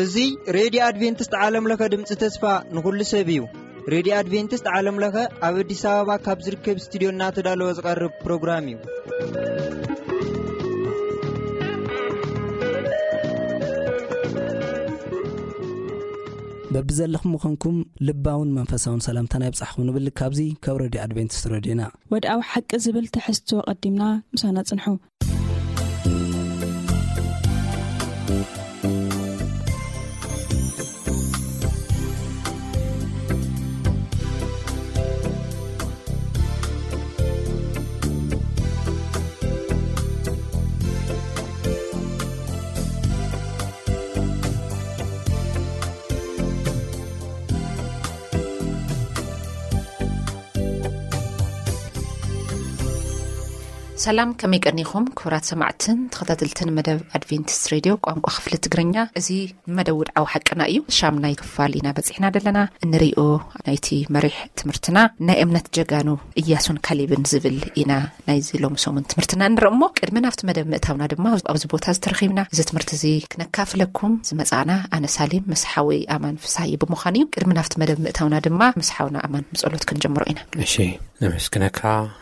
እዚ ሬድዮ ኣድቬንቲስት ዓለም ለኸ ድምፂ ተስፋ ንኹሉ ሰብ እዩ። ሬድዮ ኣድቬንቲስት ዓለም ለኸ ኣብ ኣዲስ ኣበባ ካብ ዝርከብ ስቱዲዮ እናተዳለወ ዝቐርብ ፕሮግራም እዩ። በብዘለኹም ምዃንኩም ልባውን መንፈሳውን ሰላምታና ይብጻሕኹም ንብል። ካብዚ ካብ ሬድዮ ኣድቬንቲስት ሬድዮና። ወድኣዊ ሓቂ ዝብል ትሕዝቶ ቀዲምና ምሳና ጽንሑ። ሰላም፣ ከመይ ቀኒኹም ክቡራት ሰማዕትን ተኸታተልትን መደብ ኣድቬንቲስት ሬድዮ ቋንቋ ክፍሊ ትግርኛ? እዚ መደብ ውድዓዊ ሓቅና እዩ። ሻምናይ ክፋል ኢና በጺሕና ዘለና። እንሪኦ ናይቲ መሪሕ ትምህርትና ናይ እምነት ጀጋኑ እያሱን ካሌብን ዝብል ኢና ናይዚ ሎሚ ሰሙን ትምህርትና እንርኢ እሞ፣ ቅድሚ ናብቲ መደብ ምእታውና ድማ ኣብዚ ቦታ ዝተረኺብና እዚ ትምህርቲ እዚ ክነካፍለኩም ዝመጻና ኣነ ሳሌም ምስ ሓወይ ኣማን ፍስሃየ ብምዃን እዩ። ቅድሚ ናብቲ መደብ ምእታውና ድማ ምስ ሓውና ኣማን ብጸሎት ክንጀምሮ ኢና። እሺ፣ ነመስግነካ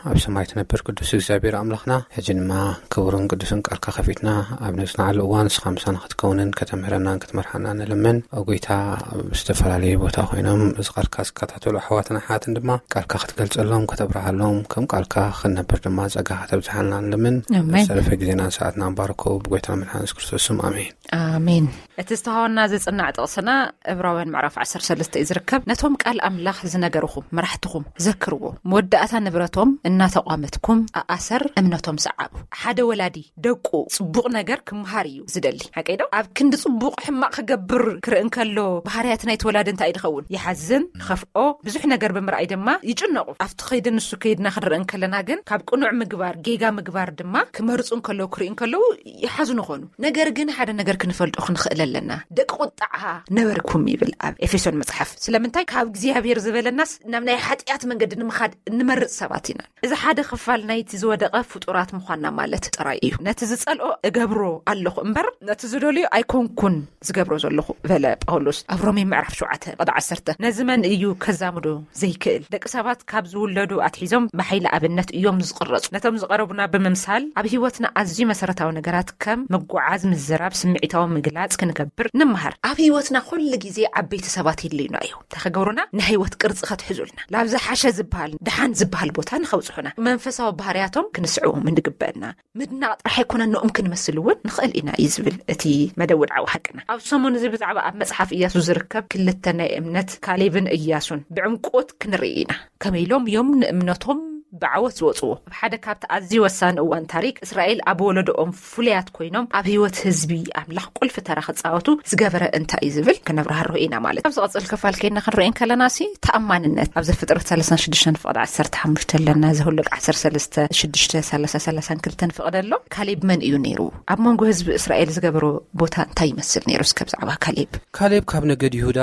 ኣብ ሰማይ ትነብር ቅዱስ እግዚኣብሔር ኣምላኽና። ሕጂ ድማ ክቡርን ቅዱስን ቃልካ ከፊትና ኣብ ነጽንዓሉ እዋን ንስኻ ምሳና ክትከውንን ከተምህረናን ክትመርሓና ንልምን። ኦ ጎይታ፣ ኣብ ዝተፈላለየ ቦታ ኮይኖም እዚ ቃልካ ዝከታተሉ ኣሕዋትን ኣሓትን ድማ ቃልካ ክትገልጸሎም፣ ከተብርሃሎም፣ ከም ቃልካ ክንነብር ድማ ጸጋ ከተብዝሓልና ንልምን። ኣሜን። ዝተረፈ ግዜናን ሰዓትናን ባርኮ ብጎይታና መድሓን የሱስ ክርስቶስ ስም ኣሜን። ኣሜን። እቲ ዝተሃወና ዝጽናዕ ጥቕስና እብራውያን ምዕራፍ ዓሰርተ ሰለስተ እዩ ዝርከብ። ነቶም ቃል ኣምላኽ ዝነገርኹም መራሕትኹም ዘክርዎ፣ መወዳእታ ንብረቶም እናተቋመትኩም ኣኣሰር እምነቶም ሰዓቡ። ሓደ ወላዲ ደቁ ጽቡቕ ነገር ክምሃር እዩ ዝደሊ። ሓቀይ ዶ? ኣብ ክንዲ ጽቡቕ ሕማቕ ክገብር ክርኢ እንከሎ፣ ባህርያት ናይቲ ወላዲ እንታይ ድኸውን? ይሓዝን፣ ይኸፍኦ፣ ብዙሕ ነገር ብምርኣይ ድማ ይጭነቑ። ኣብቲ ከይዲ ንሱ ከይድና ክንርኢ እንከለና ግን፣ ካብ ቅኑዕ ምግባር ጌጋ ምግባር ድማ ክመርጹ እንከለዉ፣ ክርኢ እንከለዉ ይሓዝኑ ኾኑ። ነገር ግን ሓደ ነገር ክንፈልጦ ክንኽእል ኣለና። ደቂ ቁጥዓ ነበርኩም ይብል ኣብ ኤፌሶን መጽሓፍ። ስለምንታይ? ካብ እግዚኣብሔር ዝበለናስ ናብ ናይ ሓጢኣት መንገዲ ንምኻድ እንመርጽ ሰባት ኢና። እዚ ሓደ ክፋል ናይቲ ዝወደቐ ፍጡራት ምዃንና ማለት ጥራይ እዩ። ነቲ ዝጸልኦ እገብሮ ኣለኹ እምበር፣ ነቲ ዝደልዮ ኣይኮንኩን ዝገብሮ ዘለኹ፣ በለ ጳውሎስ ኣብ ሮሜ ምዕራፍ ሸውዓተ ቁጥሪ ዓሰርተ። ነዚ መን እዩ ከዛምዶ ዘይክእል? ደቂ ሰባት ካብ ዝውለዱ ኣትሒዞም ብሓይሊ ኣብነት እዮም ዝቕረጹ። ነቶም ዝቐረቡና ብምምሳል፣ ኣብ ህይወትና ኣዝዩ መሰረታዊ ነገራት ከም ምጉዓዝ፣ ምዝራብ፣ ስምዒታዊ ምግላጽ ክንገብር ንምሃር። ኣብ ህይወትና ኩሉ ግዜ ዓበይቲ ሰባት የድልዩና እዮም። እንታይ ክገብሩና? ናይ ህይወት ቅርጺ ከትሕዙልና፣ ናብ ዝሓሸ ዝበሃል፣ ደሓን ዝበሃል ቦታ ንኸብጽሑና፣ መንፈሳዊ ባህርያቶም ክንስዕቦም እንግበአና። ምድናቕ ጥራሕ ኣይኮነን፣ ንኦም ክንመስል እውን ንኽእል ኢና እዩ ዝብል እቲ መደብ ውድዓዊ ሓቅና። ኣብ ሰሙን እዚ ብዛዕባ ኣብ መጽሓፍ ኢያሱ ዝርከብ ክልተ ናይ እምነት፣ ካሌብን ኢያሱን፣ ብዕምቆት ክንርኢ ኢና። ከመይ ኢሎም እዮም ንእምነቶም ብዓወት ዝወጽዎ? ኣብ ሓደ ካብቲ ኣዝዩ ወሳኒ እዋን ታሪክ እስራኤል፣ ኣብ ወለዶኦም ፍሉያት ኮይኖም ኣብ ህይወት ህዝቢ ኣምላኽ ቁልፊ ተራ ክጻወቱ ዝገበረ እንታይ እዩ ዝብል ክነብራህርሆ ኢና ማለት። ኣብ ዝቐጽል ክፋል ከይድና ክንርኢ እንከለና ሲ፣ ተኣማንነት ኣብ ዘፍጥረት ሰላሳን ሽዱሽተን ፍቕዲ ዓሰርተ ሓሙሽተ ኣለና። ዘሁልቅ ዓሰርተ ሰለስተ ሽዱሽተ፣ ሰላሳ፣ ሰላሳን ክልተን ፍቕዲ ኣሎ። ካሌብ መን እዩ ነይሩ? ኣብ መንጎ ህዝቢ እስራኤል ዝገበሮ ቦታ እንታይ ይመስል ነይሩ? እስከ ብዛዕባ ካሌብ። ካሌብ ካብ ነገድ ይሁዳ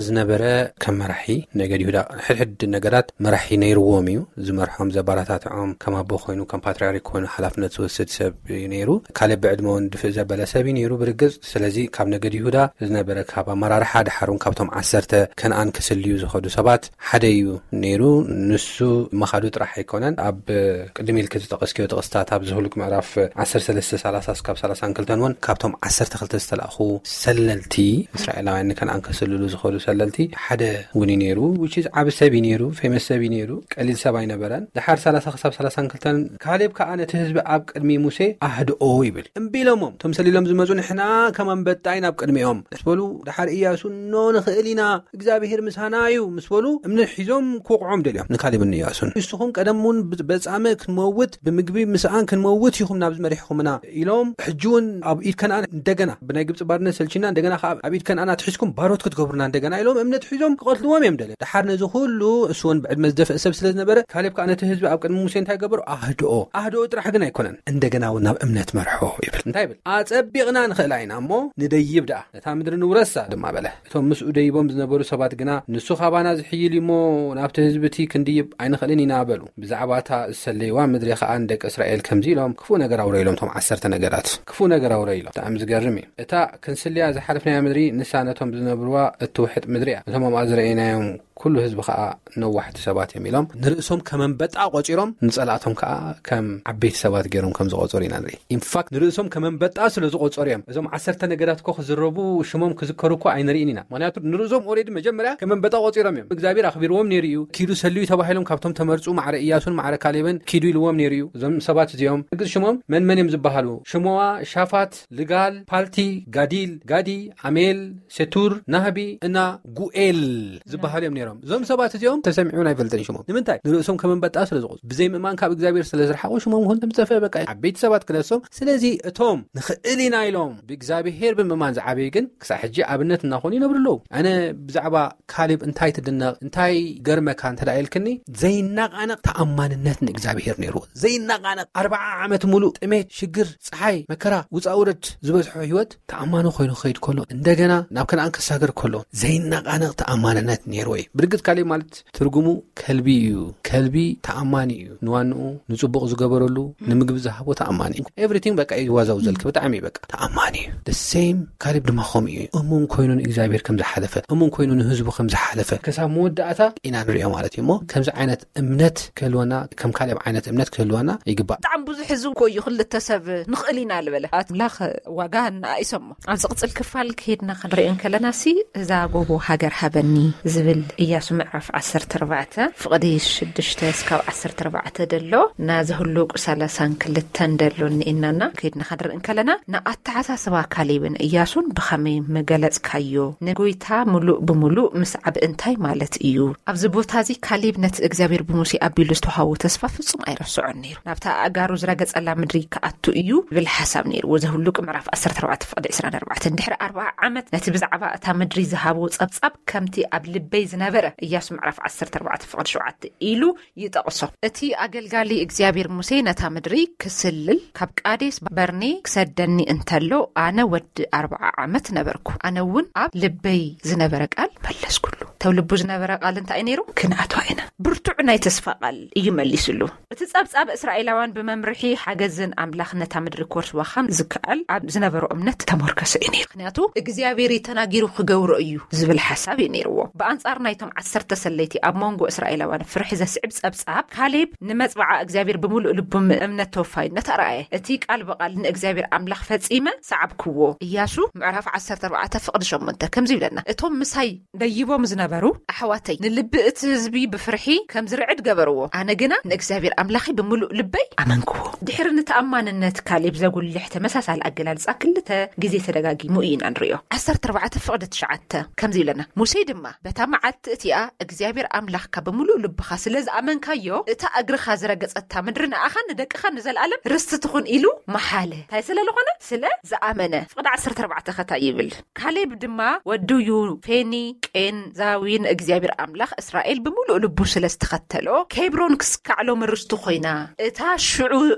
ዝነበረ፣ ከም መራሒ ነገድ ይሁዳ ሕድሕድ ነገዳት መራሒ ነይርዎም እዩ። ዝመርሖም፣ ዘባራታትዖም፣ ከም ኣቦ ኮይኑ፣ ከም ፓትርያርክ ኮይኑ ሓላፍነት ዝወስድ ሰብ እዩ ነይሩ። ካሌብ ብዕድመ እውን ድፍእ ዘበለ ሰብ እዩ ነይሩ ብርግጽ። ስለዚ ካብ ነገድ ይሁዳ ዝነበረ፣ ካብ ኣመራርሓ፣ ድሓር እውን ካብቶም ዓሰርተ ከነኣን ክስልዩ ዝኸዱ ሰባት ሓደ እዩ ነይሩ። ንሱ ምኻዱ ጥራሕ ኣይኮነን። ኣብ ቅድም ኢልኪ ዝጠቐስክዮ ጥቕስታት፣ ኣብ ዘሁልቅ ምዕራፍ ዓሰርተ ሰለስተ፣ ሰላሳ እስካብ ሰላሳን ክልተን እውን ካብቶም ዓሰርተ ክልተ ዝተላእኹ ሰለልቲ፣ እስራኤላውያን ንከነኣን ከስልሉ ዝኸዱ ሰለልቲ ሓደ እውን እዩ ነይሩ። Which is ዓቢ ሰብ እዩ ነይሩ፣ ፌመስ ሰብ እዩ ነይሩ፣ ቀሊል ሰብ ኣይነበረን። ድሓር ሰላሳ ክሳብ ሰላሳን ክልተን፣ ካሌብ ከኣ ነቲ ህዝቢ ኣብ ቅድሚ ሙሴ ኣህድኦ ይብል። እምቢ ኢሎሞም፣ እቶም ሰሊሎም ዝመጹ፣ ንሕና ከም ኣንበጣ ኢና ኣብ ቅድሚኦም ምስ በሉ፣ ድሓር ኢያሱ፣ ኖ፣ ንኽእል ኢና፣ እግዚኣብሄር ምሳና እዩ ምስ በሉ፣ እምኒ ሒዞም ክወቕዖም ደልዮም ንካሌብን ንኢያሱን። ንስኹም ቀደም እውን ብ-፣ በጻመ ክንመውት፣ ብምግቢ ምስኣን ክንመውት ኢኹም ናብዚ መሪሕኹምና ኢሎም፣ ሕጂ እውን ኣብ ኢድ ከነኣን እንደገና፣ ብናይ ግብጺ ባርነት ሰልችና፣ እንደገና ከኣ ኣብ ኢድ ከነኣን ኣትሒዝኩም ባሮት ክትገብሩና እንደገና ኢሎም እምነት ሒዞም ክቐትልዎም እዮም ደልዮም። ደሓር ነዚ ኩሉ፣ እሱ እውን ብዕድመ ዝደፍአ ሰብ ስለ ዝነበረ፣ ካሌብ ከኣ ነቲ ህዝቢ ኣብ ቅድሚ ሙሴ እንታይ ገበሩ? ኣህድኦ። ኣህድኦ ጥራሕ ግን ኣይኮነን፣ እንደገና እውን ናብ እምነት መርሖ ይብል። እንታይ ይብል? ኣጸቢቕና ንኽእላ ኢና እሞ ንደይብ ደኣ፣ ነታ ምድሪ ንውረሳ ድማ በለ። እቶም ምስኡ ደይቦም ዝነበሩ ሰባት ግና፣ ንሱ ካባና ዝሕይል እዩ እሞ ናብቲ ህዝቢ እቲ ክንድይብ ኣይንኽእልን ኢና በሉ። ብዛዕባ እታ ዝሰለይዋ ምድሪ ኸኣ ንደቂ እስራኤል ከምዚ ኢሎም ክፉእ ነገር ኣውረይሎም። እቶም ዓሰርተ ነገዳት ክፉእ ነገር ኣውረይሎም። ብጣዕሚ ዝገርም እዩ። እታ ክንስልያ ዝሓለፍናያ ምድሪ ንሳ ነቶም ዝነብርዋ እትውሕጥ ምድሪ እያ። እቶም ኣብኣ ዝረኣይናዮም ኩሉ ህዝቢ ኸኣ ነዋሕቲ ሰባት እዮም ኢሎም፣ ንርእሶም ከም ኣንበጣ ቆጺሮም፣ ንጸላእቶም ከኣ ከም ዓበይቲ ሰባት ገይሮም ከም ዝቆጸሩ ኢና ንርኢ። ኢንፋክት ንርእሶም ከም ኣንበጣ ስለ ዝቆጸሩ እዮም። እዞም ዓሰርተ ነገዳት እኮ ክዝረቡ፣ ሽሞም ክዝከሩ እኮ ኣይንርእን ኢና። ምኽንያቱ ንርእሶም ኦሬዲ መጀመርያ ከም ኣንበጣ ቆጺሮም እዮም። እግዚኣብሔር ኣኽቢርዎም ነይሩ እዩ። ኪዱ ሰልዩ ተባሂሎም ካብቶም ተመርጹ ማዕረ ኢያሱን ማዕረ ካሌብን ኪዱ ኢልዎም ነይሩ እዩ። እዞም ሰባት እዚኦም እግዝ ሽሞም መን መን እዮም ዝበሃሉ? ሽሞዋ፣ ሻፋት፣ ልጋል፣ ፓልቲ፣ ጋዲል፣ ጋዲ፣ ኣሜል፣ ሴቱር፣ ናህቢ እና ጉኤል ዝበሃሉ እዮም ነይሮም። እዞም ሰባት እዚኦም ተሰሚዑን ኣይፈልጥን ሽሞም። ንምንታይ? ንርእሶም ከም ኣንበጣ ስለ ዝቆጹ፣ ብዘይ ምእማን ካብ እግዚኣብሔር ስለ ዝረሓቑ ሽሞም ኹን ተምጸፈ በቃ ዓበይቲ ሰባት ክነሶም። ስለዚ እቶም ንኽእል ኢና ኢሎም ብእግዚኣብሔር ብምእማን ዝዓበዩ ግን ክሳዕ ሕጂ ኣብነት እናኾኑ ይነብሩ ኣለዉ። ኣነ ብዛዕባ ካሌብ እንታይ ትድነቕ፣ እንታይ ገርመካ እንተ ደኣ ኢልክኒ፣ ዘይናቓነቕ ተኣማንነት ንእግዚኣብሔር ነይርዎ። ዘይናቓነቕ ኣርብዓ ዓመት ሙሉእ ጥሜት፣ ሽግር፣ ጸሓይ፣ መከራ፣ ውጻእ ውረድ ዝበዝሖ ህይወት ተኣማኒ ኮይኑ ክኸይድ ከሎ፣ እንደገና ናብ ከነኣን ክሳገር ከሎ ዘይናቓነቕ ተኣማንነት ነይርዎ እዩ። ብርግጽ ካሌብ ማለት ትርጉሙ ከልቢ እዩ። ከልቢ ተኣማኒ እዩ። ንዋንኡ ንጽቡቕ ዝገበረሉ፣ ንምግቢ ዝሃቦ ተኣማኒ እዩ። ኤቭሪቲንግ በቃ እዩ ዋዛው ዘልክ ብጣዕሚ እዩ በቃ ተኣማኒ እዩ። The same ካሌብ ድማ ከምኡ እዩ። እሙን ኮይኑ ንእግዚኣብሔር ከም ዝሓለፈ፣ እሙን ኮይኑ ንህዝቡ ከም ዝሓለፈ ክሳብ መወዳእታ ኢና ንሪኦ ማለት እዩ። እሞ ከምዚ ዓይነት እምነት ክህልወና፣ ከም ካሌብ ዓይነት እምነት ክህልወና ይግባእ። ብጣዕሚ ብዙሕ ህዝቢ እኮ እዩ ክልተ ሰብ ንኽእል ኢና ዝበለ ኣምላኽ ዋጋ እናኣይሰሞ። ኣብ ዝቕጽል ክፋል ከይድና ክንሪኦ እንከለና ሲ እዛ ጎቦ ሃገር ሃበኒ ዝብል ኢያሱ ምዕራፍ ዓሰርተ ኣርባዕተ ፍቕዲ ሽዱሽተ እስካብ ዓሰርተ ኣርባዕተ ደሎ፣ ናዚ ህሉቅ ሰላሳን ክልተን ደሎ እኒኤናና። ከይድና ክንርኢ እንከለና ንኣተሓሳስባ ካሌብን ኢያሱን ብኸመይ መገለጽካዮ? ንጎይታ ምሉእ ብምሉእ ምስዓብ እንታይ ማለት እዩ? ኣብዚ ቦታ እዚ ካሌብ ነቲ እግዚኣብሔር ብሙሴ ኣቢሉ ዝተዋህቦ ተስፋ ፍጹም ኣይረስዖን ነይሩ። ናብታ ኣእጋሩ ዝረገጸላ ምድሪ ክኣቱ እዩ ዝብል ሓሳብ ነይርዎ። ዘሁሉቅ ምዕራፍ ዓሰርተ ኣርባዕተ ፍቕዲ ዕስራን ኣርባዕተን። ድሕሪ ኣርብዓ ዓመት ነቲ ብዛዕባ እታ ምድሪ ዝሃቦ ጸብጻብ ከምቲ ኣብ ልበይ ዝነበረ ኢያሱ ምዕራፍ ዓሰርተ ኣርባዕተ ፍቕዲ ሸውዓተ ኢሉ ይጠቕሶ። እቲ ኣገልጋሊ እግዚኣብሔር ሙሴ ነታ ምድሪ ክስልል ካብ ቃዴስ በርኔ ክሰደኒ እንተሎ ኣነ ወዲ ኣርብዓ ዓመት ነበርኩ። ኣነ እውን ኣብ ልበይ ዝነበረ ቃል መለስኩሉ። ተው ልቡ ዝነበረ ቃል እንታይ ነይሩ? ክንኣትዋ ኢና። ብርቱዕ ናይ ተስፋ ቃል እዩ መሊስሉ። እቲ ጸብጻብ እስራኤላውያን ብመምርሒ ሓገዝን ኣምላኽ ነታ ምድሪ ክወርስዋ ከም ዝከኣል ኣብ ዝነበሮ እምነት ተሞርከሰ እዩ ነይሩ። ምኽንያቱ እግዚኣብሔር እዩ ተናጊሩ ክገብሮ እዩ ዝብል ሓሳብ እዩ ነይርዎ። ብኣንጻር ናይቶም ዓሰርተ ሰለይቲ ኣብ መንጎ እስራኤላውያን ፍርሒ ዘስዕብ ጸብጻብ ካሌብ ንመጽብዓ እግዚኣብሔር ብምሉእ ልቡ እምነት ተወፋይነት ኣርኣየ። እቲ ቃል ብቓል ንእግዚኣብሔር ኣምላኽ ፈጺመ ሰዓብክዎ። ኢያሱ ምዕራፍ ዓሰርተ ኣርባዕተ ፍቕዲ ሸሞንተ ከምዚ ይብለና፣ እቶም ምሳይ ደይቦም ዝነበሩ ኣሕዋተይ ንልቢ እቲ ህዝቢ ብፍርሒ ከም ዝርዕድ ገበርዎ። ኣነ ግና ንእግዚኣብሔር ኣምላኺ ብምሉእ ልበይ ኣመንክዎ። ድሕሪ ንተኣማንነት ካሌብ ዘጉልሕ ተመሳሳሊ ኣገላልጻ ክልተ ግዜ ተደጋጊሙ ኢና ንርእዮ። ዓሰርተ ኣርባዕተ ፍቕዲ ትሽዓተ ከምዚ ይብለና፣ ሙሴ ድማ በታ መዓልቲ እቲኣ እግዚኣብሔር ኣምላኽካ ብምሉእ ልብኻ ስለ ዝኣመንካዮ፣ እታ እግርኻ ዝረገጸታ ምድሪ ንኣኻን ንደቅኻን ንዘለኣለም ርስቲ ትኹን ኢሉ መሓለ። እንታይ ስለ ዝኾነ? ስለ ዝኣመነ። ፍቕዲ ዓሰርተ ኣርባዕተ ከታይ ይብል? ካሌብ ድማ ወዱ ዩፌኒ፣ ቄንዛዊ ንእግዚኣብሔር ኣምላኽ እስራኤል ብምሉእ ልቡ ስለ ዝተኸተሎ፣ ኬብሮን ክስካዕ ሎሚ ርስቱ ኮይና። እታ ሽዑ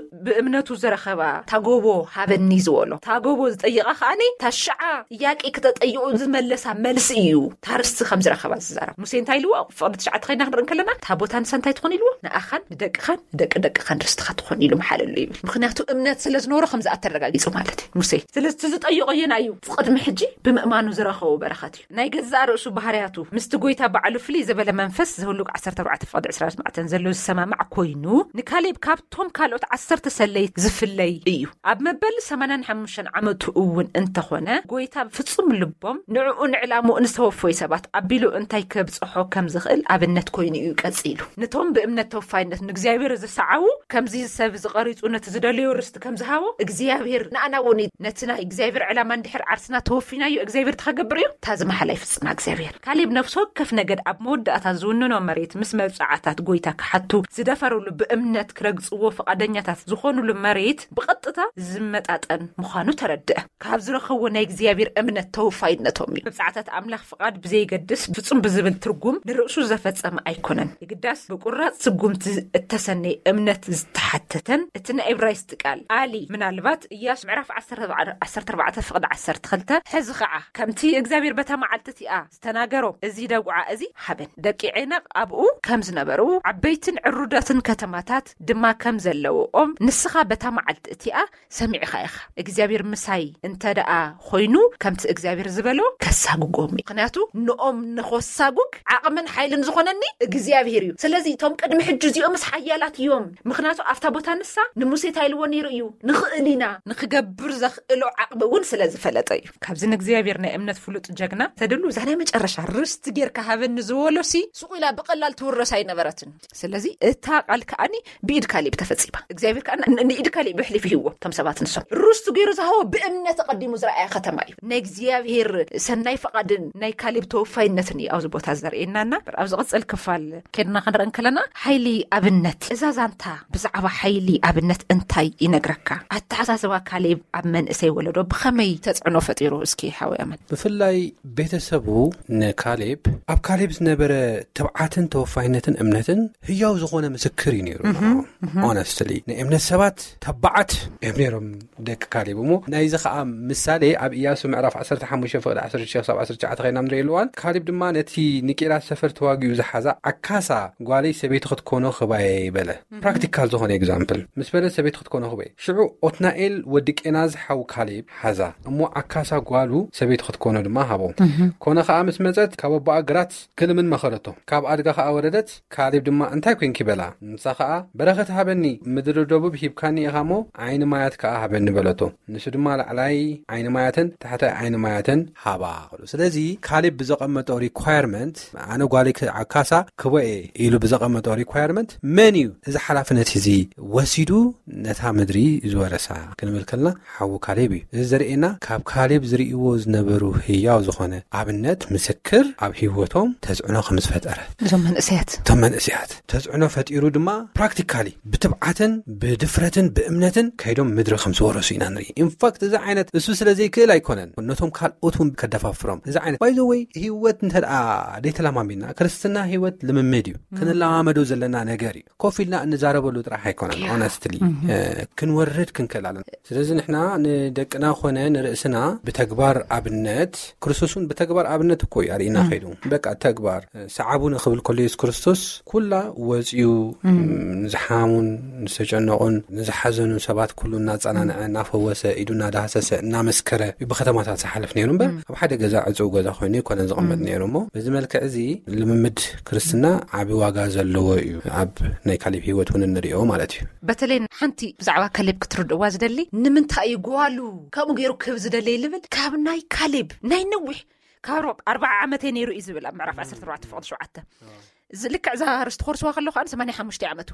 ብእምነቱ ዝረኸባ እታ ጎቦ ሃበኒ ዝበሎ፣ እታ ጎቦ ዝጠይቓ ከኣኒ፣ እታ ሽዓ ጥያቄ ክተጠይቑ ዝመለሳ መልሲ እዩ። እታ ርስቲ ከም ዝረኸባ ዝዛረብ። ሙሴ እንታይ ኢልዎ? ፍቕዲ ትሽዓተ ኸይድና ክንርኢ እንከለና፣ እታ ቦታ ንሳ እንታይ ትኾን ኢልዎ? ንኣኻን ንደቅኻን ንደቂ ደቅኻን ርስቲ ክትኾን ኢሉ መሓለሉ ይብል። ምኽንያቱ እምነት ስለ ዝነበሮ ከም ዝኣተረጋጊጹ ማለት እዩ ሙሴ። ስለዚ እቲ ዝጠየቖ የና እዩ? ቅድሚ ሕጂ ብምእማኑ ዝረኸቦ በረኸት እዩ። ናይ ገዛእ ርእሱ ባህርያቱ ምስቲ ጎይታ ባዕሉ ፍልይ ዝበለ መንፈስ ዘህሉቅ ዓሰርተ ኣርባዕተ ፍቕዲ ዕስራን ኣርባዕተን ዘሎ ዝሰማማዕ ኮይኑ፣ ንካሌብ ካብቶም ካልኦት ዓሰርተ ሰለይት ዝፍለይ እዩ። ኣብ መበል ሰማንያን ሓሙሽተን ዓመቱ እውን እንተኾነ፣ ጎይታ ፍጹም ልቦም ንዕኡ ንዕላምኡ ንዝተወፈዩ ሰባት ኣቢሉ እንታይ ከብጽሖ ከም ዝኽእል ኣብነት ኮይኑ እዩ ቀጺሉ። ነቶም ብእምነት ተወፋይነት ንእግዚኣብሔር ዝሰዓቡ፣ ከምዚ ሰብ ዝቐሪጹ ነቲ ዝደለዮ ርስቲ ከም ዝሃቦ፣ እግዚኣብሔር ንኣና እውን እዩ። ነቲ ናይ እግዚኣብሔር ዕላማ እንድሕር ዓርስና ተወፊናዮ፣ እግዚኣብሔር ተኸገብር እዩ። እታ ዝመሓላ ይፍጽማ እግዚኣብሔር። ካሌብ ነፍሲ ወከፍ ነገድ ኣብ መወዳእታ ዝውንኖ መሬት ምስ መብጽዓ፣ ታት ጎይታ ክሓቱ ዝደፈሩሉ፣ ብእምነት ክረግጽዎ ፍቓደኛታት ዝኾኑሉ መሬት ብቐጥታ ዝመጣጠን ምዃኑ ተረድአ። ካብ ዝረኸብዎ ናይ እግዚኣብሔር እምነት ተወፋይነቶም እዩ። መብጻዕታት ኣምላኽ ፍቓድ ብዘይገድስ ፍጹም ብዝብል ትርጉም ንርእሱ ዘፈጸመ ኣይኮነን። የግዳስ ብቁራጽ ስጉምቲ እተሰነየ እምነት ዝተሓተተን እቲ ናይ ዕብራይስጥ ቃል ኣሊ ምናልባት ኢያሱ ምዕራፍ ዓሰርተ ኣርባዕተ ፍቕዲ ዓሰርተ ክልተ ሕዚ ኸዓ ከምቲ እግዚኣብሔር በታ መዓልቲ እቲኣ ዝተናገሮ እዚ ደጉዓ እዚ ሃበን ደቂ ዔናቕ ኣብኡ ከም ዝነበሩ ዓበይትን ዕሩዳትን ከተማታት ድማ ከም ዘለውኦም ንስኻ በታ መዓልቲ እቲኣ ሰሚዕኻ ኢኻ። እግዚኣብሔር ምሳይ እንተ ደኣ ኮይኑ ከምቲ እግዚኣብሔር ዝበሎ ከሳጉጎም እዩ። ምኽንያቱ ንኦም ንኸሳጉግ ዓቕምን ሓይልን ዝኾነኒ እግዚኣብሔር እዩ። ስለዚ እቶም ቅድሚ ሕጂ እዚኦምስ ሓያላት እዮም። ምኽንያቱ ኣብታ ቦታ ንሳ ንሙሴ እንታይ ኢልዎ ነይሩ እዩ? ንኽእል ኢና። ንኽገብር ዘኽእሎ ዓቕሚ እውን ስለ ዝፈለጠ እዩ። ካብዚ ንእግዚኣብሔር ናይ እምነት ፍሉጥ ጀግና ተድሉ እዛ ናይ መጨረሻ ርስቲ ጌርካ ሃበኒ ዝበሎ ሲ ሱቕ ኢላ ብቐላል ትውረስ ኣይነበረትን። ስለዚ እታ ቃል ከኣኒ ብኢድ ካሌብ ተፈጺማ። እግዚኣብሔር ከኣ ን- ንኢድ ካሌብ ብሕሊፍ ይህዎ። እቶም ሰባት ንሶም ርስቱ ገይሩ ዝሃቦ ብእምነት ኣቐዲሙ ዝረኣየ ከተማ እዩ። ናይ እግዚኣብሔር ሰናይ ፍቓድን ናይ ካሌብ ተወፋይነትን እዩ ኣብዚ ቦታ ዘርእየናና። ኣብ ዝቕጽል ክፋል ከድና ክንርኢ እንከለና ሓይሊ ኣብነት፣ እዛ ዛንታ ብዛዕባ ሓይሊ ኣብነት እንታይ ይነግረካ? ኣተሓሳስባ ካሌብ ኣብ መንእሰይ ወለዶ ብኸመይ ተጽዕኖ ፈጢሩ? እስኪ ሓወይ ኣመን። ብፍላይ ቤተሰቡ ንካሌብ፣ ኣብ ካሌብ ዝነበረ ትብዓትን ተወፋይነትን እምነትን ህያው ዝኾነ ምስክር እዩ ነይሩ። ንዓኦም። ሆነስትሊ ናይ እምነት ሰባት ተባዓት እዮም ነይሮም ደቂ ካሌብ። እሞ ናይዚ ኸዓ ምሳሌ ኣብ ኢያሱ ምዕራፍ ዓሰርተ ሓሙሽተ ፍቕዲ ዓሰርተ ሽዱሽተ ክሳብ ዓሰርተ ትሽዓተ ኸይና ንርኢ ኣለዋን። ካሌብ ድማ ነቲ ንቂላ ሰፈር ተዋጊኡ ዝሓዛ ዓካሳ ጓለይ ሰበይቲ ክትኮኖ ክባየ በለ። ፕራክቲካል ዝኾነ ኤግዛምፕል ምስ በለ ሰበይቲ ክትኮኖ ክባየ። ሽዑ ኦትናኤል ወዲ ቄናዝ ሓው ካሌብ ሓዛ እሞ ዓካሳ ጓሉ ሰበይቲ ክትኮኖ ድማ ሃቦ። ኮነ ኸዓ ምስ መጸት ካብ ኣቦኣ ግራት ክልምን መኸረቶ። ካብ ኣድጋ ኸዓ ወረደት። ካሌብ ድማ እንታይ ኮንኪ በላ። ንሳ ኸዓ በረኸት ሃበኒ፣ ምድሪ ደቡብ ሂብካኒ ኢኻ እሞ ዓይኒ ማያት ከኣ ሃበኒ በለቶ። ንሱ ድማ ላዕላይ ዓይኒ ማያትን ታሕታይ ዓይኒ ማያትን ሃባ። ስለዚ ካሌብ ብዘቐመጦ ሪኳየርመንት ኣነ ጓለይ ክ- ዓካሳ ክቦኤ ኢሉ ብዘቐመጦ ሪኳየርመንት መን እዩ እዚ ሓላፍነት እዚ ወሲዱ ነታ ምድሪ ዝወረሳ ክንብል ከልና ሓዉ ካሌብ እዩ። እዚ ዘርእየና ካብ ካሌብ ዝርእይዎ ዝነበሩ ህያው ዝኾነ ኣብነት ምስክር ኣብ ህይወቶም ተጽዕኖ ከም ዝፈጠረ። እዞም መንእሰያት እቶም መንእሰያት ተጽዕኖ ፈጢሩ ድማ ፕራክቲካሊ ብትብዓትን ብድፍረትን ብእምነትን ከይዶም ምድሪ ከም ዝወረሱ ኢና ንርኢ። ኢንፋክት እዚ ዓይነት እሱ ስለ ዘይክእል ኣይኮነን ነቶም ካልኦት እውን ከደፋፍሮም። እዚ ዓይነት ባይዘወይ ህይወት እንተ ደኣ ደይተለማሚድና ክርስትና ህይወት ልምምድ እዩ። ክንለማመዶ ዘለና ነገር እዩ። ኮፍ ኢልና እንዛረበሉ ጥራሕ ኣይኮነን። ኦነስትሊ ክንወርድ ክንክእል ኣለና። ስለዚ ንሕና ንደቅና ኮነ ንርእስና ብተግባር ኣብነት፣ ክርስቶስ እውን ብተግባር ኣብነት እኮ እዩ ኣርእና ከይዱ። በቃ ተግባር ሰዓቡኒ ክብል ከሎ የሱስ ክርስቶስ ኩላ ወፂኡ ንዝሓሙን ዝተጨነቑን ንዝሓዘኑን ሰባት ኩሉ እናፀናንዐ እናፈወሰ ኢዱ እናዳህሰሰ እናመስከረ እዩ ብከተማታት ዝሓልፍ ነይሩ እምበር ኣብ ሓደ ገዛ ዕፁው ገዛ ኮይኑ ኣይኮነን ዝቕመጥ ነይሩ። እሞ በዚ መልክዕ እዚ ልምምድ ክርስትና ዓቢ ዋጋ ዘለዎ እዩ። ኣብ ናይ ካሌብ ህይወት እውን እንሪኦ ማለት እዩ። በተለይ ሓንቲ ብዛዕባ ካሌብ ክትርድእዋ ዝደሊ ንምንታይ እዩ ጓሉ ከምኡ ገይሩ ክህብ ዝደለይ ልብል ካብ ናይ ካሌብ ናይ ነዊሕ ካብ ኣርባዓ ዓመተይ ነይሩ እዩ ዝብል ኣብ ምዕራፍ ዓሰርተ ኣርባዕተ ፍቕዲ ሸውዓተ እዚ ልክዕ እዛ ርስቲ ኮርስዋ ከለኹ ኣነ ሰማንያ ሓሙሽተ ዓመቱ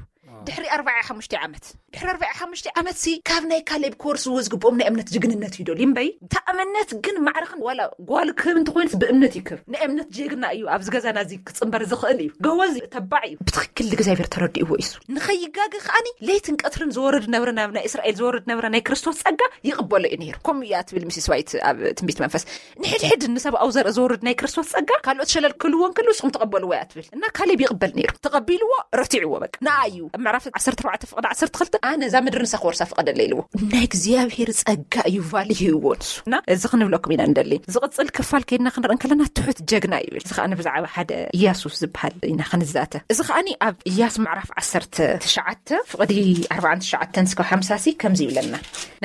ድሕሪ ኣርባዓ ሓሙሽተ ዓመት ድሕሪ ኣርባዓ ሓሙሽተ ዓመት ሲ ካብ ናይ ካሌብ ኮርስ ዝግብኦም ናይ እምነት ጅግንነት እዩ ዶሊ እምበይ እታ እምነት ግን ማዕረኽን ዋላ ጓል ክህብ እንተኮይንስ ብእምነት ይክብ ናይ እምነት ጀግና እዩ ኣብዚ ገዛና እዚ ክፅንበር ዝኽእል እዩ ጎበዝ ተባዕ እዩ ብትክክል እግዚኣብሔር ተረዲእዎ እዩ ንኸይጋገ ከዓኒ ለይትን ቀትርን ዝወርድ ነብረ ናብ ናይ እስራኤል ዝወርድ ነብረ ናይ ክርስቶስ ፀጋ ይቕበሎ እዩ ነይሩ ከምኡ እያ ትብል ሚስስ ዋይት ኣብ ትንቢት መንፈስ ንሕድሕድ ንሰብኣዊ ዘርኢ ዝወርድ ናይ ክርስቶስ ጸጋ ካልኦት ሸለል ክልዎ እንከሎ ንስኹም ተቐበልዎ እያ ትብል እና ካሌብ ይቕበል ነይሩ ተቐቢልዎ ረቲዕዎ በቃ ንኣ እዩ ኣብ ምዕራፍ ዓሰርተ ኣርባዕተ ፍቕዲ ዓሰርተ ክልተ ኣነ እዛ ምድሪ ንሳ ክወርሳ ፍቐደለ ኢልዎ ናይ እግዚኣብሔር ጸጋ እዩ ቫሊ ሂብዎ ንሱ እና እዚ ክንብለኩም ኢና እንደሊ ዝቕጽል ክፋል ከይድና ክንርኢ እንከለና ትሑት ጀግና ይብል እዚ ከኣ ብዛዕባ ሓደ ኢያሱ ዝበሃል ኢና ክንዛተ እዚ ከኣኒ ኣብ ኢያሱ ምዕራፍ ዓሰርተ ትሽዓተ ፍቕዲ ኣርባዓን ትሽዓተን እስካብ ሓምሳ ሲ ከምዚ ይብለና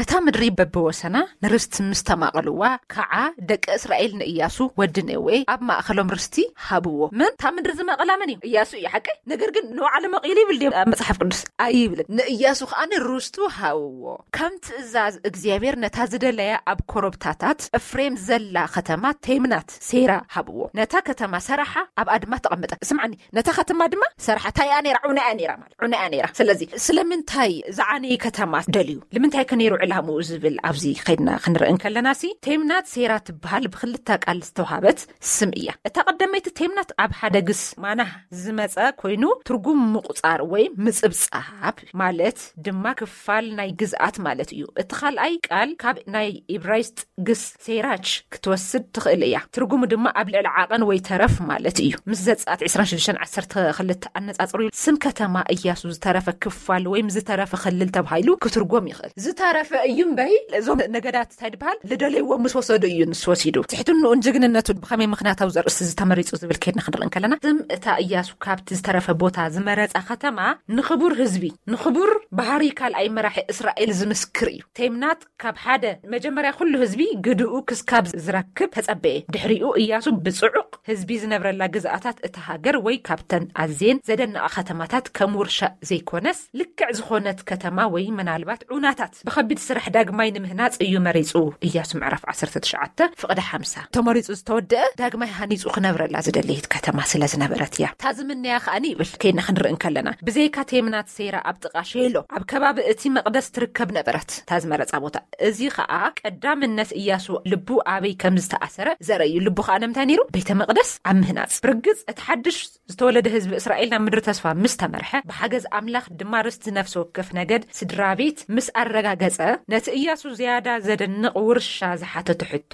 ነታ ምድሪ በብወሰና ንርስቲ ምስ ተማቐልዋ ከዓ ደቂ እስራኤል ንእያሱ ወዲ ነዌ ኣብ ማእኸሎም ርስቲ ሃብዎ። መን እታ ምድሪ ዝመቐላ መን እዩ? እያሱ እዩ ሓቀይ። ነገር ግን ንባዕሉ መቒሉ ይብል ድዮም ኣብ መፅሓፍ ቅዱስ ኣይብልን። ንእያሱ ከኣ ርስቱ ሃብዎ። ከም ትእዛዝ እግዚኣብሔር ነታ ዝደለያ ኣብ ኮረብታታት እፍሬም ዘላ ከተማ ቴምናት ሴራ ሃብዎ። ነታ ከተማ ሰራሓ፣ ኣብኣ ድማ ተቐመጠ። ስምዓኒ፣ ነታ ከተማ ድማ ሰራሓ። እንታይ እያ ነይራ? ዑና እያ ነይራ ማለት፣ ዑና እያ ነይራ። ስለዚ ስለምንታይ ዝዓነየ ከተማ ደልዩ? ንምንታይ ከ ነይሩ ዕላምኡ ዝብል ኣብዚ ከይድና ክንርኢ እንከለና ሲ፣ ቴምናት ሴራ ትበሃል ብክልተ ቃል ዝተውሃበት ስም እያ። እታ ቀዳመይቲ ቴምናት ኣብ ሓደ ግስ ማናህ ዝመጸ ኮይኑ ትርጉም ምቁጻር ወይ ምጽብጻብ ማለት ድማ ክፋል ናይ ግዝኣት ማለት እዩ። እቲ ካልኣይ ቃል ካብ ናይ ኢብራይስጥ ግስ ሴራች ክትወስድ ትኽእል እያ። ትርጉሙ ድማ ኣብ ልዕሊ ዓቐን ወይ ተረፍ ማለት እዩ። ምስ ዘጸኣት ዕስራን ሽዱሽተን ዓሰርተ ክልተ ኣነጻጽሩ ስም ከተማ እያሱ ዝተረፈ ክፋል ወይም ዝተረፈ ክልል ተባሂሉ ክትርጎም ይኽእል። ዝተረፈ እዩ እምበይ፣ እዞም ነገዳት እንታይ ዝበሃል ዝደለይዎ ምስ ወሰዱ እዩ ንሱ ወሲዱ። ትሕትንኡን ጅግንነቱን ብኸመይ ምኽንያታዊ ዘርእስቲ ዝተመሪጹ ዝብል ከይድና ክንርኢ እንከለና፣ ስም እታ እያሱ ካብቲ ዝተረፈ ቦታ ዝመረጻ ከተማ ንኽቡር ህዝቢ፣ ንኽቡር ባህሪ ካልኣይ መራሒ እስራኤል ዝምስክር እዩ። ቴምናት ካብ ሓደ መጀመርያ ኩሉ ህዝቢ ግድኡ ክስካብ ዝረክብ ተጸበየ። ድሕሪኡ እያሱ ብጽዑቕ ህዝቢ ዝነብረላ ግዝኣታት እታ ሃገር ወይ ካብተን ኣዝየን ዘደንቓ ከተማታት ከም ውርሻ ዘይኮነስ ልክዕ ዝኾነት ከተማ ወይ ምናልባት ዑናታት ብኸቢድ ስራሕ ዳግማይ ንምህናጽ እዩ መሪጹ። እያሱ ምዕራፍ ዓሰርተ ትሽዓተ ፍቕዲ ሓምሳ። ተመሪጹ ዝተወደአ ዳግማይ ሃኒጹ ክነብረላ ዝደለየት ከተማ ስለ ዝነበረት እያ። እታ ዝምነያ ከኣ ይብል ከይድና ክንርኢ እንከለና፣ ብዘይካ ቴምናት ሴራ ኣብ ጥቓ ሼሎ ኣብ ከባቢ እቲ መቕደስ ትርከብ ነበረት እታ ዝመረጻ ቦታ። እዚ ከኣ ቀዳምነት እያሱ ልቡ ኣበይ ከም ዝተኣሰረ ዘርኢ እዩ። ልቡ ከኣ ንምንታይ ነይሩ? ቤተ መቕደስ ኣብ ምህናጽ። ብርግጽ እቲ ሓድሽ ዝተወለደ ህዝቢ እስራኤል ናብ ምድሪ ተስፋ ምስ ተመርሐ፣ ብሓገዝ ኣምላኽ ድማ ርስቲ ነፍሲ ወከፍ ነገድ ስድራ ቤት ምስ ኣረጋገጸ፣ ነቲ እያሱ ዝያዳ ዘደንቕ ውርሻ ዝሓተቶ ሕቶ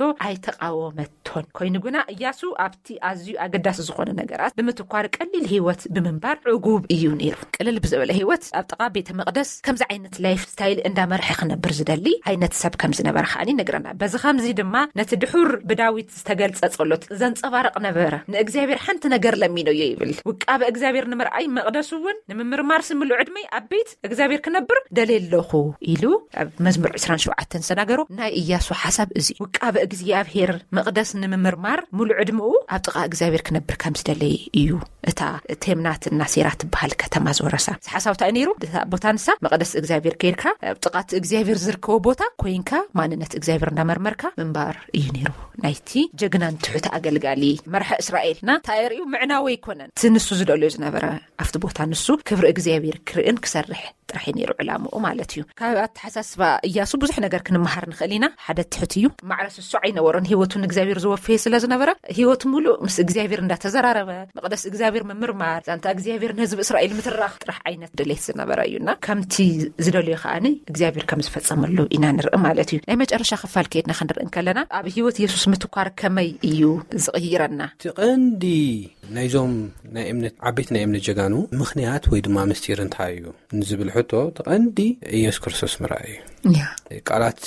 ኣይተቓወመቶን። ኮይኑ ግና እያሱ ኣብቲ ኣዝዩ ኣገዳሲ ዝኾነ ነገራት ብምትኳር ቀሊል ህይወት ብምንባር ዕጉብ እዩ ነይሩ። ቅልል ብዝበለ ህይወት ኣብ ጥቓ ቤተ መቕደስ ከምዚ ዓይነት ላይፍ ስታይል እንዳመርሐ ክነብር ዝደሊ ዓይነት ሰብ ከም ዝነበረ ከኣ ይነግረና። በዚ ከምዚ ድማ ነቲ ድሑር ብዳዊት ዝተገልጸ ጸሎት ዘንጸባርቕ ነበረ። ንእግዚኣብሔር ሓንቲ ነገር ለሚኖዮ ይብል። ውቃበ እግዚኣብሔር ንምርኣይ መቕደሱ እውን ንምምርማር ስምሉ ዕድመይ ኣብ ቤት እግዚኣብሔር ክነብር ደልየ ኣለኹ ኢሉ ኣብ መዝሙር ዕስራን ሸውዓተን ዝተናገሮ ናይ እያሱ ሓሳብ እዚ። ውቃበ እግዚኣብሔር መቕደስ ንምምርማር ሙሉ ዕድመኡ ኣብ ጥቓ እግዚኣብሔር ክነብር ከም ዝደለየ እዩ። እታ ቴምናት እና ሴራ ትበሃል ከተማ ዝወረሳ ሓሳብ እንታይ ነይሩ? እታ ቦታ ንሳ መቕደስ እግዚኣብሔር ከይድካ ኣብ ጥቓ እቲ እግዚኣብሔር ዝርከቦ ቦታ ኮይንካ ማንነት እግዚኣብሔር እንዳመርመርካ ምንባር እዩ ነይሩ። ናይቲ ጀግናን ትሑት ኣገልጋሊ መርሐ እስራኤል እና እንታይ ርእዩ? ምዕናዊ ኣይኮነን። እቲ ንሱ ዝደልዮ ዝነበረ ኣብቲ ቦታ ንሱ ክብሪ እግዚኣብሔር ክርእን ክሰርሕ ጥራሕ እዩ ነይሩ ዕላምኡ ማለት እዩ። ካብ ኣተሓሳስባ እያሱ ብዙሕ ነገር ክንመሃር ንኽእል ኢና። ሓደ ትሑት እዩ። ማዕረ ስሱ ኣይነበሮን። ህይወቱ ንእግዚኣብሔር ዝወፈየ ስለ ዝነበረ ህይወቱ ሙሉእ ምስ እግዚኣብሔር እንዳተዘራረበ መቕደስ እግዚኣብሔር ምምርማር፣ ዛንታ እግዚኣብሔር ንህዝቢ እስራኤል ምትራኽ ጥራሕ ዓይነት ድሌት ዝነበረ እዩና ከምቲ ዝደልዮ ከኣኒ እግዚኣብሔር ከም ዝፈጸመሉ ኢና ንርኢ ማለት እዩ። ናይ መጨረሻ ክፋል ከይድና ክንርኢ እንከለና ኣብ ህይወት የሱስ ምትኳር ከመይ እዩ ዝቕይረና? እቲ ቀንዲ ናይዞም ናይ እምነት ዓበይቲ ናይ እምነት ጀጋኑ ምኽንያት ወይ ድማ ምስጢር እንታይ እዩ ንዝብል ሕቶ እቲ ቀንዲ ኢየሱስ ክርስቶስ ምርኣይ እዩ። ያ። ቃላት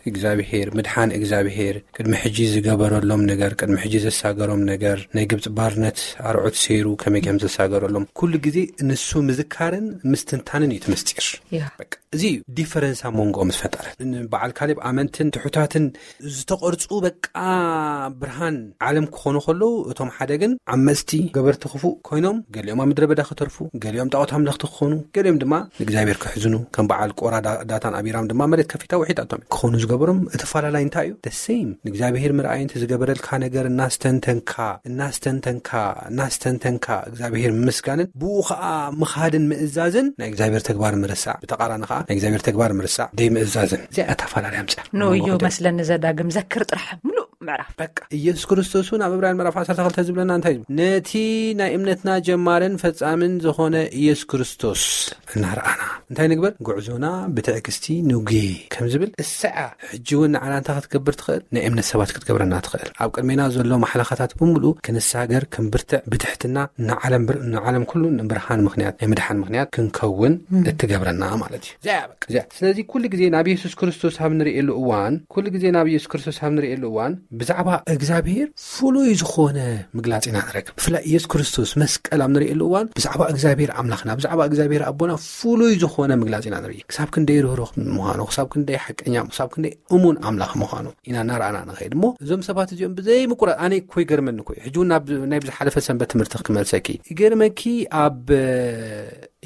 እግዚኣብሔር፣ ምድሓን እግዚኣብሔር፣ ቅድሚ ሕጂ ዝገበረሎም ነገር፣ ቅድሚ ሕጂ ዘሳገሮም ነገር፣ ናይ ግብፂ ባርነት ኣርዑት ሰይሩ ከመይ ከም ዘሳገረሎም ኩሉ ግዜ ንሱ ምዝካርን ምስትንታንን እዩ እቲ ምስጢር። ያ። በቃ እዚ እዩ ዲፈረንስ ኣብ መንጎኦም ዝፈጠረ። በዓል ካሌብ ኣመንትን ትሑታትን ዝተቐርፁ በቃ ብርሃን ዓለም ክኾኑ ከለዉ፣ እቶም ሓደ ግን ዓመፅቲ ገበርቲ ክፉእ ኮይኖም፣ ገሊኦም ኣብ ምድረ በዳ ክተርፉ፣ ገሊኦም ጣዖት ኣምለኽቲ ክኾኑ፣ ገሊኦም ድማ ንእግዚኣብሔር ክሕዝኑ፣ ከም በዓል ቆራ ዳ-፣ ዳታን ኣቢራም ድማ መሬት ከፊታ ውሒጣቶም ክኾኑ ዝገበሮም እቲ ፈላላይ እንታይ እዩ? The same። ንእግዚኣብሔር ምርኣይን እቲ ዝገበረልካ ነገር እናስተንተንካ፣ እናስተንተንካ፣ እናስተንተንካ እግዚኣብሔር ምስጋንን ብኡ ኸዓ ምኻድን ምእዛዝን ናይ እግዚኣብሔር ተግባር ምርሳዕ፣ ብተቓራኒ ኸዓ ናይ እግዚኣብሔር ተግባር ምርሳዕ ደይ ምእዛዝን። እዚኣ እያ እታ ፈላላይ ኣምፅያ። ንዮ መስለኒ ዘዳግም ዘክር ጥራሕ ምሉእ ምዕራፍ። በቃ ኢየሱስ ክርስቶስ እውን ኣብ ዕብራውያን ምዕራፍ ዓሰርተ ክልተ ዝብለና እንታይ እዩ? ነቲ ናይ እምነትና ጀማርን ፈጻምን ዝኾነ ኢየሱስ ክርስቶስ እናረኣና እንታይ ንግበር? ጉዕዞና ብትዕግስቲ ንጉየ ከም ዝብል እሰዓ ሕጂ እውን ንዓና እንታይ ክትገብር ትኽእል? ናይ እምነት ሰባት ክትገብረና ትኽእል። ኣብ ቅድሜና ዘሎ ማሕለኻታት ብምሉኡ ክንሳገር፣ ክንብርትዕ፣ ብትሕትና ንዓለም ብር-፣ ንዓለም ኩሉ ንብርሃን ምኽንያት፣ ናይ ምድሓን ምኽንያት ክንከውን እም። እትገብረና ማለት እዩ። እዚኣ እያ በቃ፣ እዚኣ። ስለዚ ኩሉ ግዜ ናብ ኢየሱስ ክርስቶስ ኣብ ንርእየሉ እዋን፣ ኩሉ ግዜ ናብ ኢየሱስ ክርስቶስ ኣብ ንርእየሉ እዋን ብዛዕባ እግዚኣብሔር ፍሉይ ዝኾነ ምግላጽ ኢና ንረክብ። ብፍላይ ኢየሱስ ክርስቶስ መስቀል ኣብ ንርእየሉ እዋን ብዛዕባ እግዚኣብሔር ኣምላኽና፣ ብዛዕባ እግዚኣብሔር ኣቦና ፍሉይ ዝኾነ ምግላጽ ኢና ንርኢ። ክሳብ ክንደይ ርህሩህ ምዃኑ፣ ክሳብ ክንደይ ሓቀኛ፣ ክሳብ ክንደይ እሙን ኣምላኽ ምዃኑ ኢና እናረኣና ንኸይድ። እሞ እዞም ሰባት እዚኦም ብዘይ ምቁራጽ፣ ኣነ እኮ ይገርመኒ እኮ እዩ። ሕጂ እውን ናብ ናይ ብዝሓለፈ ሰንበት ትምህርቲ ክመልሰኪ። ይገርመኪ፣ ኣብ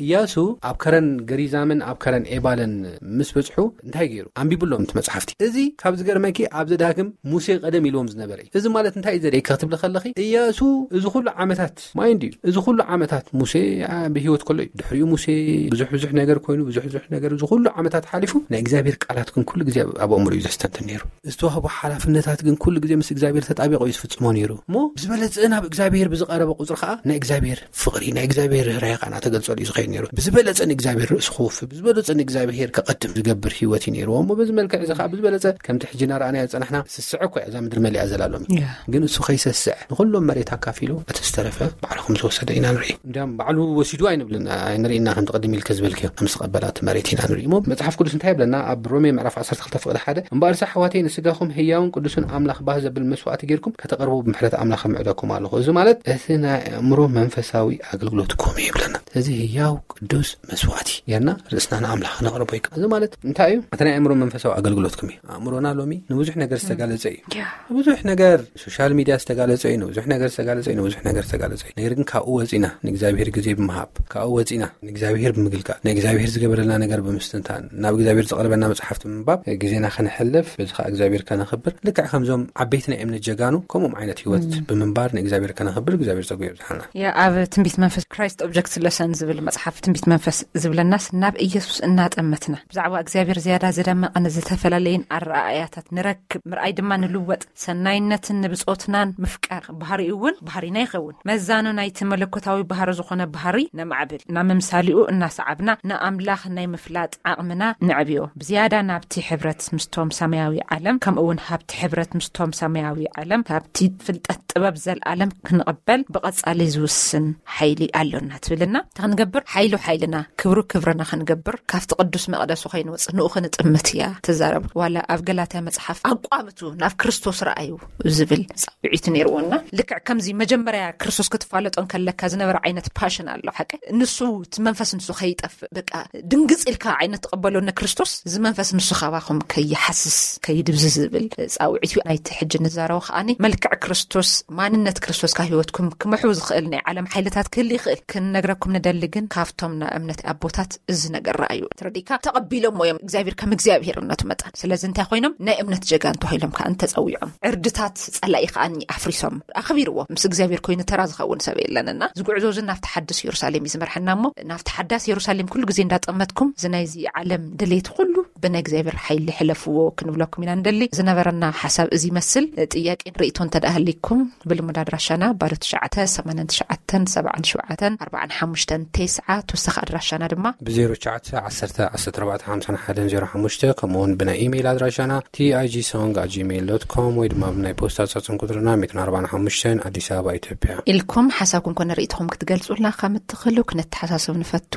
እያሱ ኣብ ከረን ገሪዛምን ኣብ ከረን ኤባልን ምስ በጽሑ እንታይ ገይሩ? ኣንቢብሎም እቲ መጽሓፍቲ። እዚ ካብ ዝገርመኪ ኣብ ዘዳግም ሙሴ ቀደም ኢልዎም ዝነበረ እዩ። እዚ ማለት እንታይ እዩ ዘርእየኪ ክትብሊ ከለኺ፣ እያሱ እዚ ኩሉ ዓመታት፣ ማይንድ እዩ፣ እዚ ኩሉ ዓመታት ሙሴ፣ አ፣ ብህይወት ከሎ እዩ። ድሕሪኡ ሙሴ ብዙሕ ብዙሕ ነገር ኮይኑ፣ ብዙሕ ብዙሕ ነገር፣ እዚ ኩሉ ዓመታት ሓሊፉ፣ ናይ እግዚኣብሔር ቃላት ግን ኩሉ ግዜ ኣብ ኣእምሮ እዩ ዘስተንትን ነይሩ። ዝተዋህቦ ሓላፍነታት ግን ኩሉ ግዜ ምስ እግዚኣብሔር ተጣቢቆ እዩ ዝፍጽሞ ነይሩ። እሞ ብዝበለጸ ናብ እግዚኣብሔር ብዝቐረበ ቁጽሪ ከኣ ናይ እግዚኣብሔር ፍቕሪ፣ ናይ እግዚኣብሔር ርህራሄ ከኣ እናተገልጸሉ እዩ ዝኸይድ ነይሩ። ብዝበለጸ ንእግዚኣብሔር ርእሱ ክውፍይ፣ ብዝበለጸ ንእግዚኣብሔር ከቐድም ዝገብር ህይወት እዩ ነይርዎ። እሞ በዚ መልክዕ እዚ ከኣ ብዝበለጸ ከምቲ ሕጂ እናረኣናዮ ዝጸናሕና ስስዐ እኮ እያ እዛ ምድሪ መሊኣ ዘላ ሎሚ። ያ። ግን እሱ ከይሰስዐ ንኹሎም መሬት ኣካፊሉ እቲ ዝተረፈ ባዕሉ ከም ዝወሰደ ኢና ንርኢ። እንዲያም ባዕሉ ወሲዱ ኣይንብልን፣ ኣይንርኢ ኢና ከምቲ ቅድም ኢልከ ዝበልክዮ ከም ዝተቐበላ እቲ መሬት ኢና ንርኢ። እሞ መጽሓፍ ቅዱስ እንታይ ይብለና? ኣብ ሮሜ ምዕራፍ ዓሰርተ ክልተ ፍቕዲ ሓደ፣ "እምበኣርስ ኣሕዋተይ ንስጋኹም ህያውን ቅዱስን ኣምላኽ ባህ ዘብል መስዋእቲ ጌርኩም ከተቕርቡ ብምሕረት ኣምላኽ እምዕደኩም ኣለኹ።" እዚ ማለት እቲ ናይ ኣእምሮ መንፈሳዊ ኣገልግሎትኩም እዩ ይብለና። እዚ ህያው ቅዱስ መስዋእቲ ጌርና ርእስና ንኣምላኽ ነቕርቦ ይከ-፣ እዚ ማለት እንታይ እዩ? እቲ ናይ ኣእምሮ መንፈሳዊ ኣገልግሎትኩም እዩ። ኣእምሮና ሎሚ ንብዙሕ ነገር ዝተጋለጸ እዩ። ያ። ንብዙሕ ነገር፣ ሶሻል ሚድያ ዝተጋለጸ እዩ፣ ንብዙሕ ነገር ዝተጋለጸ እዩ፣ ንብዙሕ ነገር ዝተጋለጸ እዩ። ነገር ግን ካብኡ ወጺና ንእግዚኣብሔር ግዜ ብምሃብ፣ ካብኡ ወጺና ንእግዚኣብሔር ብምግልጋል፣ ንእግዚኣብሔር ዝገበረልና ነገር ብምስትንታን፣ ናብ እግዚኣብሔር ዝቐርበና መጽሓፍቲ ብምንባብ ግዜና ከነሕልፍ፣ በዚ ከኣ እግዚኣብሔር ከነኽብር፣ ልክዕ ከምዞም ዓበይቲ ናይ እምነት ጀጋኑ ከምኦም ዓይነት ህይወት ም። ብምንባር ንእግዚኣብሔር ከነኽብር እግዚኣብሔር ጸጉ የብዝሓልና። ያ፣ ኣብ ትንቢት መንፈስ ክራይስት ኦብጀክት ለሰን ዝብል መጽሓፍ ትንቢት መንፈስ ዝብለናስ ናብ ኢየሱስ እናጠመትና ብዛዕባ እግዚኣብሔር ዝያዳ ዝደመቐን ዝተፈላለየን ኣረኣእያታት ንረክብ፣ ምርኣይ ድማ ንልወጥ፣ ሰናይነትን ንብጾትናን ምፍቃር ባህሪኡ እውን ባህሪና ይኸውን። መዛኑ ናይቲ መለኮታዊ ባህሪ ዝኾነ ባህሪ ነማዕብል፣ ናብ ምምሳሊኡ እናሰዓብና ንኣምላኽ ናይ ምፍላጥ ዓቕምና ነዕብዮ። ብዝያዳ ናብቲ ሕብረት ምስቶም ሰማያዊ ዓለም፣ ከምኡ እውን ሃብቲ ሕብረት ምስቶም ሰማያዊ ዓለም፣ ካብቲ ፍልጠት ጥበብ ዘልኣለም ክንቕበል ብቐጻሊ ዝውስን ሓይሊ ኣሎና ትብልና። እንታይ ክንገብር? ሓይሉ ሓይልና፣ ክብሩ ክብርና ክንገብር፣ ካብቲ ቅዱስ መቕደሱ ከይንወጽእ ንኡ ክንጥምት እያ ትዛረብ። ዋላ ኣብ ገላትያ መጽሓፍ ኣቋምቱ ናብ ክርስቶስ ረኣዩ ዝብል ጻውዒት ነይርዎና። ልክዕ ከምዚ መጀመርያ ክርስቶስ ክትፋለጦ እንከለካ ዝነበረ ዓይነት ፓሽን ኣሎ፣ ሓቂ። ንሱ፣ እቲ መንፈስ ንሱ ከይጠፍእ፣ በቃ ድንግጽ ኢልካ ዓይነት ትቕበሎ ንክርስቶስ፣ እዚ መንፈስ ንሱ ካባኹም ከይሓስስ፣ ከይድብዝዝ ዝብል ጻውዒት እዩ። ናይቲ ሕጂ ንዛረቦ ከኣኒ መልክዕ ክርስቶስ፣ ማንነት ክርስቶስ ካብ ህይወትኩም ክምሑ ዝኽእል ናይ ዓለም ሓይልታት ክህል ይኽእል። ክንነግረኩም ንደሊ ግን ካብቶም ናይ እምነት ኣቦታት እዚ ነገር ረኣዩ። ተረዲእካ? ተቐቢሎሞ እዮም እግዚኣብሔር ከም እግዚኣብሔርነቱ መጠን። ስለዚ እንታይ ኮይኖም? ናይ እምነት ጀጋን ተባሂሎም ከኣ ተጸዊዖም። ዕርድታት ጸላኢ ከኣ ኣፍሪሶም ኣኽቢርዎ። ምስ እግዚኣብሔር ኮይኑ ተራ ዝኸውን ሰብ የለንና። እዚ ጉዕዞ እዚ ናብቲ ሓድስ የሩሳሌም እዩ ዝመርሐና እሞ፣ ናብቲ ሓዳስ የሩሳሌም ኩሉ ግዜ እንዳጠመትኩም፣ እዚ ናይዚ ዓለም ድሌት ኩሉ ብናይ እግዚኣብሔር ሓይሊ ሕለፍዎ ክንብለኩም ኢና ንደሊ። ዝነበረና ሓሳብ እዚ ይመስል። ጥያቄን ርእይቶን እንተ ደኣ ሃሊኩም፣ ብልሙድ ኣድራሻና ባዶ ትሽዓተ፣ ሰማንያን ትሽዓተን፣ ሰብዓን ሸውዓተን፣ ኣርባዓን ሓሙሽተን፣ ተስዓ፣ ተወሳኺ ኣድራሻና ድማ ብ ዜሮ ትሽዓተ፣ ዓሰርተ፣ ዓሰርተ ኣርባዕተ፣ ሓምሳን ሓደን ዜሮ ሓሙሽተ፣ ከምኡ እውን ብናይ ኢሜይል ኣድራሻና ቲ ኣይ ጂ ሶንግ ኣት ጂሜይል ዶት ኮም ወይ ድማ ብናይ ፖስታ ሳጥን ቁጽርና ሚእትን ኣርባዓን ሓሙሽተን፣ ኣዲስ ኣበባ፣ ኢትዮጵያ። ኢልኩም ሓሳብኩም ኮነ ርእይቶኹም ክትገልጹልና ከም እትኽእሉ ክንተሓሳስብ ንፈቱ።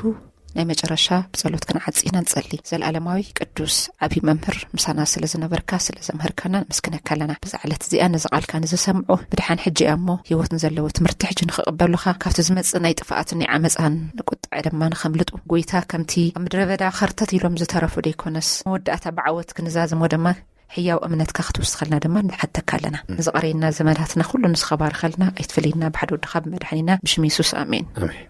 ናይ መጨረሻ ብጸሎት ክንዓጽ ኢና ንጸሊ። ዘለኣለማዊ ቅዱስ ዓቢ መምህር፣ ምሳና ስለ ዝነበርካ፣ ስለ ዘምህርካና ነመስግነካ ኣለና። ብዛ ዕለት እዚኣ ነዚ ቃልካ ንዝሰምዑ ብድሓን ሕጂ እያ እሞ ህይወት ንዘለዎ ትምህርቲ ሕጂ ንኽቕበሉኻ፣ ካብቲ ዝመጽእ ናይ ጥፍኣትን ናይ ዓመጻን ቁጥዐ ድማ ንኸምልጡ፣ ጎይታ፣ ከምቲ ኣብ ምድረ በዳ ኸርተት ኢሎም ዝተረፉ ደይኮነስ፣ መወዳእታ ብዓወት ክንዛዝሞ ድማ ሕያው እምነትካ ክትውስኸልና ድማ ንሓተካ ኣለና። ም። ንዝቐረየና ዘመናትና ኩሉ ንስኻ ባርኸልና፣ ኣይትፈለየና፣ ብሓደ ወድኻ ብመድሓኒና ብሽም የሱስ፣ ኣሜን። ኣሜን።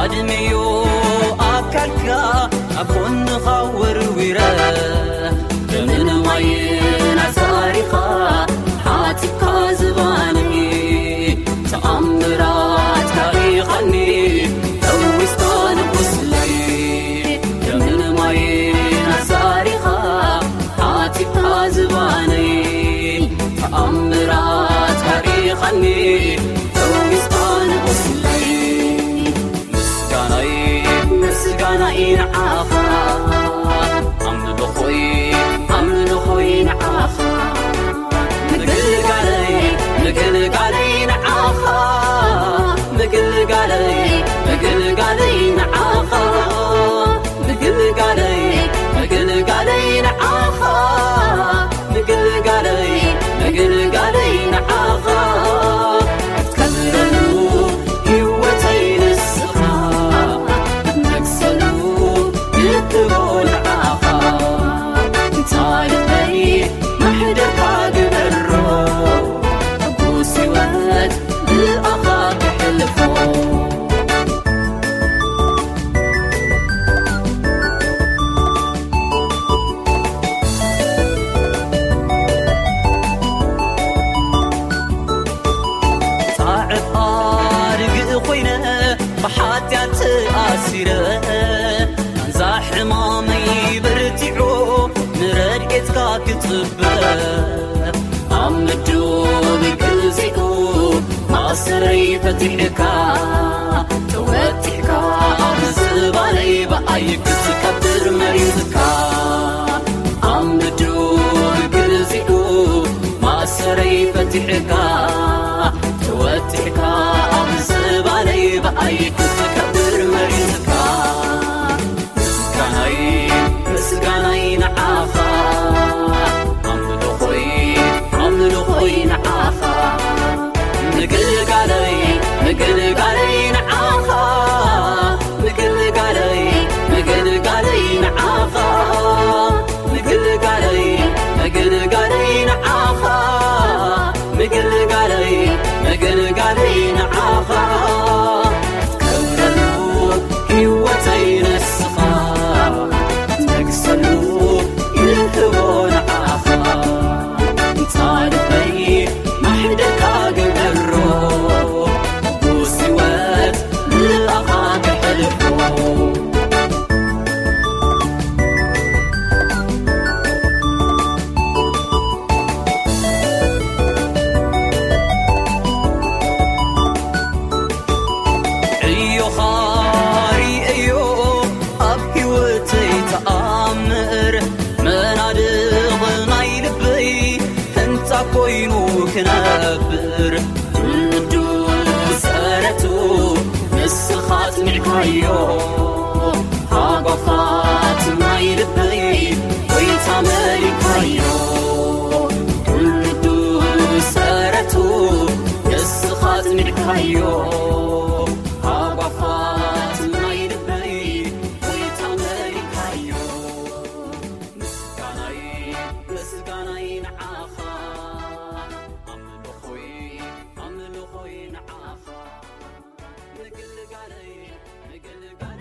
ዕድሜዮ ኣካልካ ኣብ ጎንኻ ወርዊረ፣ ደምን ማይን ኣዛሪኻ ሓቲትካ ዝባነይ፣ ተኣምራትካ ርኢኻኒ ፈዊስካ ንቁስለይ። ደምን ማይን ኣዛሪኻ ሓቲትካ ዝባነይ፣ ተኣምራትካ ርኢኻኒ ፈዊስካ ንቁስለይ። ምስጋናይ፣ ምስጋናይ ንዓኻ፣ ኣምልኾይ፣ ኣምልኾይ ንዓኻ። ምግልጋለይ፣ ምግልጋለይ ንዓኻ፣ ምግልጋለይ፣ ምግልጋለይ ንዓኻ። ምግልጋለይ፣ ምግልጋለይ ንዓኻ፣ ምግልጋለይ፣ ምግልጋለይ ንዓኻ። ክትከብረሉ ህይወተይ ንስኻ፣ ክትነግሰሉ ይህቦ ንዓኻ። እንታ ልበይ ማሕደርካ ግበሮ፣ ሕጉስ ህይወት ብኣኻ ክሕልፎ። ጻዕብ ኣድግእ ኮይነ ብሓጢኣት ተኣሲረ፣ ቃንዛ ሕማመይ በርቲዑ ንረድኤትካ ክጽበ። ኣብ ምዱብ ግዜኡ ማእሰርይ ፈቲሕካ፣ ተወጢሕካ ኣብ ዝባነይ ብኣይ ክትከብር መሪጽካ። ኣብ ምዱብ ግዜኡ ማእሰርይ ፈቲሕካ፣ ተወጢሕካ ኣብ ዝባነይ ብኣይ ክትከብር መሪጽካ። ምስጋናይ፣ ምስጋናይ ንዓኻ፣ ኣምልኾይ፣ ኣምልኾይ ንዓኻ። ምግልጋለይ፣ ምግልጋለይ ንዓኻ፣ ምግልጋለይ፣ ምግልጋለይ ንዓኻ። ምግልጋለይ፣ ምግልጋለይ ንዓኻ፣ ምግልጋለይ፣ ምግልጋለይ ንዓኻ። ክትከብረሉ ህይወተይ ንስኻ፣ ክትነግሰሉ ይህቦ ንዓኻ። እንታ ልበይ ማሕደርካ ግበሮ፣ ሕጉስ ህይወት ብኣኻ ክሕልፎ። ዕዮኻ ርእየዮ ኣብ ህይወተይ ተኣምር፣ መናድቕ ናይ ልበይ ህንጻ ኮይኑ ክነብር። ኩሉ ሰረቱ ንስኻ ጽኒዕካዮ፣ ሃጓፋት ናይ ልበይ ጎይታ መሊእካዮ። ኩሉ ሰረቱ ንስኻ ጽኒዕካዮ፣ ሃጓፋት ናይ ልበይ ጎይታ መሊእካዮ። ምስጋናይ፣ ምስጋናይ ንዓኻ፣ ኣምልኾይ፣ ኣምልኾይ ንዓኻ። ምግልጋለይ፣ ምግልጋለይ